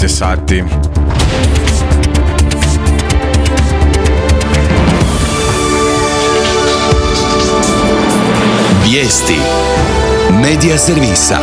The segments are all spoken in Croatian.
12 je sati. Vijesti Medija servisa.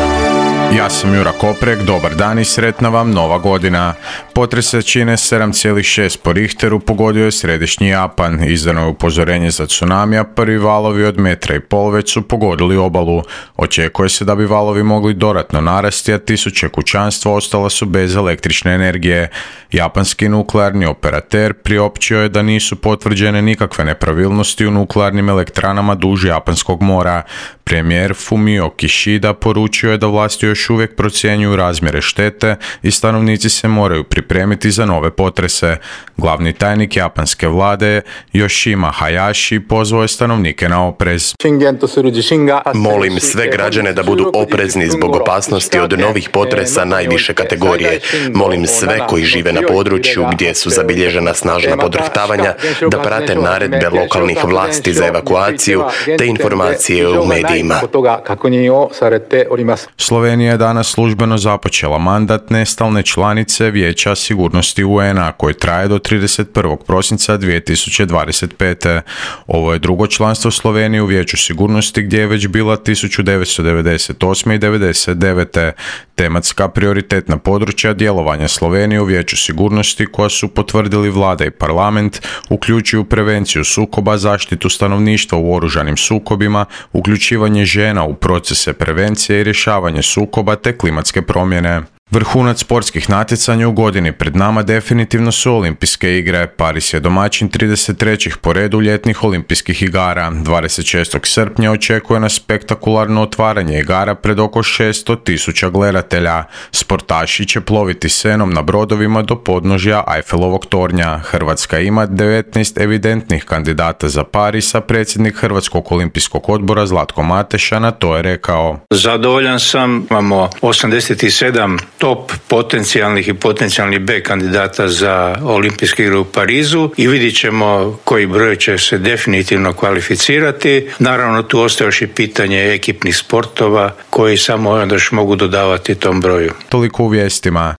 Ja sam Jura Koprek, dobar dan i sretna vam nova godina. Potres jačine 7,6 po Richteru pogodio je središnji Japan. Izdano je upozorenje za tsunamija, prvi valovi od 1,5 metra već su pogodili obalu. Očekuje se da bi valovi mogli dodatno narasti, a tisuće kućanstva ostala su bez električne energije. Japanski nuklearni operater priopćio je da nisu potvrđene nikakve nepravilnosti u nuklearnim elektranama duž Japanskog mora. Premijer Fumio Kishida poručio je da vlasti još uvijek procjenjuju razmjere štete i stanovnici se moraju pripremiti za nove potrese. Glavni tajnik japanske vlade Yoshima Hayashi pozvao je stanovnike na oprez. Molim sve građane da budu oprezni zbog opasnosti od novih potresa najviše kategorije. Molim sve koji žive na području gdje su zabilježena snažna podrhtavanja da prate naredbe lokalnih vlasti za evakuaciju te informacije u medijima. Slovenija je danas službeno započela mandat nestalne članice Vijeća sigurnosti UN-a koji traje do 31. prosinca 2025. Ovo je drugo članstvo Slovenije u Vijeću sigurnosti gdje je već bila 1998. i 1999. Tematska prioritetna područja djelovanja Slovenije u Vijeću sigurnosti koja su potvrdili vlada i parlament uključuju prevenciju sukoba, zaštitu stanovništva u oružanim sukobima, uključivanje žena u procese prevencije i rješavanje sukoba te klimatske promjene. Vrhunac sportskih natjecanja u godini pred nama definitivno su olimpijske igre. Paris je domaćin 33. po redu ljetnih olimpijskih igara. 26. srpnja očekuje nas spektakularno otvaranje igara pred oko 600.000 gledatelja. Sportaši će ploviti Senom na brodovima do podnožja Eiffelovog tornja. Hrvatska ima 19 evidentnih kandidata za Paris, a predsjednik Hrvatskog olimpijskog odbora Zlatko Mateša na to je rekao: Zadovoljan sam, imamo 87 top potencijalnih i potencijalnih B kandidata za olimpijske igre u Parizu i vidjet ćemo koji broj će se definitivno kvalificirati. Naravno, tu ostaje još i pitanje ekipnih sportova koji samo još mogu dodavati tom broju. Toliko u vijestima.